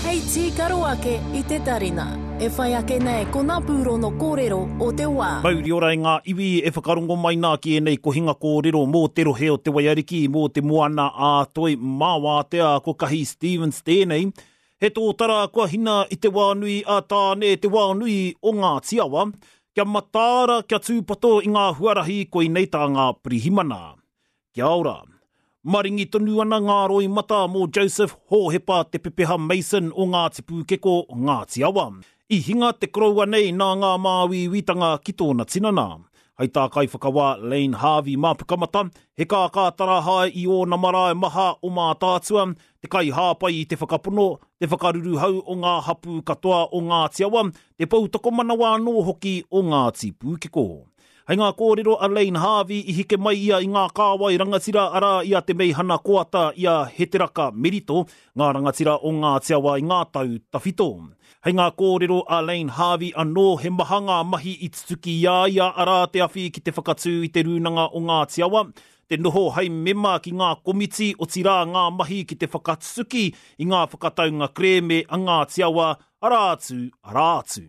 Hei tīkaro ake i te tarina. E whai ake nei ko ngā pūrono kōrero o te wā. Mauri ora e ngā iwi e whakarongo mai nā ki ēnei kohinga kōrero mō te rohe o Te Waiariki, mō te Moana ā Toi mā Wātea, ko Kahi Stevens tēnei. He tōtara kua hina i te wā nui a Tāne, te wā nui o Ngāti Awa. Kia mataara, kia tūpato i ngā huarahi koinei tā ngā pirihimana. Kia ora. Maringi tonu ana ngā roimata mō Joseph Hōhepa Te Pepeha Mason o Ngāti Pūkeko, Ngāti Awa. I hinga te koroua nei nā ngā māuiuitanga ki tōna tinana. Hai tā Kaiwhakawā Layne Harvey mā Pukamata, he kākā tarahae i ōna marae maha o Mātaatua, te kaihāpai i te whakapono, te whakaruruhau o ngā hapū katoa o Ngāti Awa, te poutokomanawa anō hoki o Ngāti Pūkeko. Hei ngā kōrero a Layne Harvey i hike mai ia i ngā kāwai rangatira arā i a Te Meihana Koata i a Heteraka Merito, ngā rangatira o Ngāti Awa i ngā tau tawhito. Hei ngā kōrero a Layne Harvey anō he maha ngā mahi i tutuki i a ia arā te awhi ki te whakatū i te Rūnanga o Ngāti Awa, te noho hei mema ki ngā komiti otirā ngā mahi ki te whakatutuki i ngā whakataunga kerēme a Ngāti Awa, arā atu, arā atu.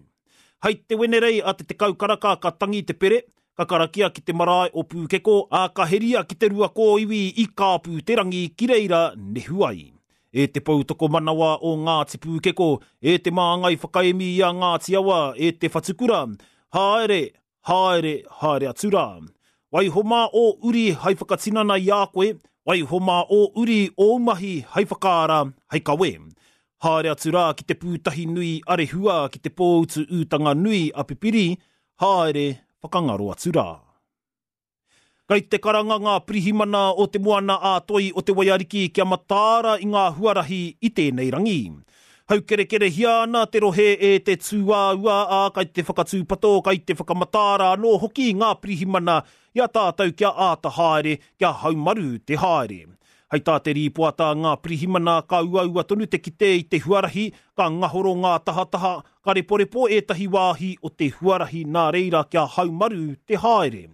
Hei te Wenerei a te 10 karaka ka tangi te pere, ka karakia ki te marae o Pūkeko, ā, ka heria ki te rua kōiwi i Kāpūterangi ki reira nehu ai. E te poutokomanawa o Ngāti Pūkeko, e te māngai whakaemi i a Ngāti Awa, e te whatukura, haere, haere, haere atu rā. Waiho mā ō uri hai whakatinana i a koe, waiho mā ō uri ōu mahi hai whakaara, hai kawe. Haere atu rā ki te pūtahi nui a Rehua ki te pōutu ūtanga nui a Pipiri, haere whakangaro atu rā. Kei te karanga ngā pirihimana o Te Moana ā Toi o Te Waiariki kia mataara i ngā huarahi i tēnei rangi. Haukerekerehia ana te rohe e te tūāua, ā, kai te whakatūpato, kai te whakamataara anō hoki ngā pirihimana i a tātou kia āta haere, kia haumaru te haere. Hei tā te rīpoata a ngā pirihimana ka uaua tonu te kite i te huarahi, ka ngahoro ngā tahataha, ka reporepo ētahi wāhi o te huarahi nā reira kia haumaru te haere.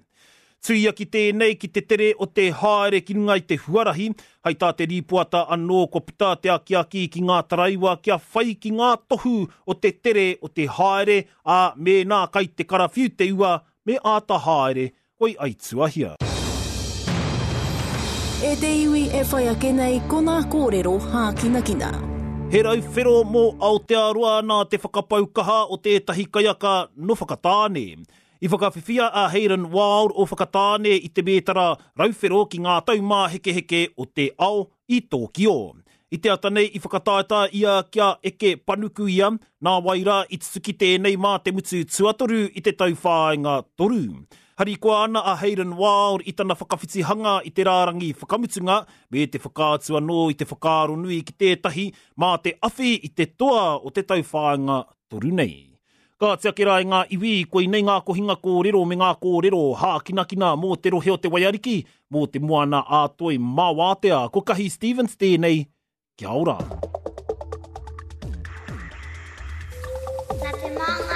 Tuia ki tēnei, ki te tere o te haere ki runga i te huarahi, hai tā te rīpoata anō kua puta te akiaki ki ngā taraiwa kia whai ki ngā tohu o te tere o te haere, ā, mēnā kai te karawhiu te ua, me āta haere, koi aituahia. E te iwi e whai ake nei ko ngā kōrero hākinakina. He rauwhero mō Aotearoa nā te whakapau kaha o tētahi kaiaka nō Whakatāne. I whakawhiwhia a Hayden Wilde o Whakatāne i te mētara rauwhero ki ngā taumāhekeheke o te ao i Tōkio. I te ata nei i whakataetae ia kia eke panuku ia, nāwai rā i tutuki tēnei mā te mutu tuatoru i te tauwhāinga toru. Harikoa ana a Hayden Wilde i tana whakawhitihanga i te rārangi whakamutunga me te whakaatu anō i te whakaaro nui ki tētahi mā te awhi i te toa o te tauwhāinga toru nei. Ka tiaki rā i ngā iwi, koinei ngā kohinga kōrero me ngā kōrero hākinakina mō te rohe o Te Waiariki, mō te Moana ā Toi mā Wātea. Ko Kahi Stevens tēnei, kia ora. Nā te māngai.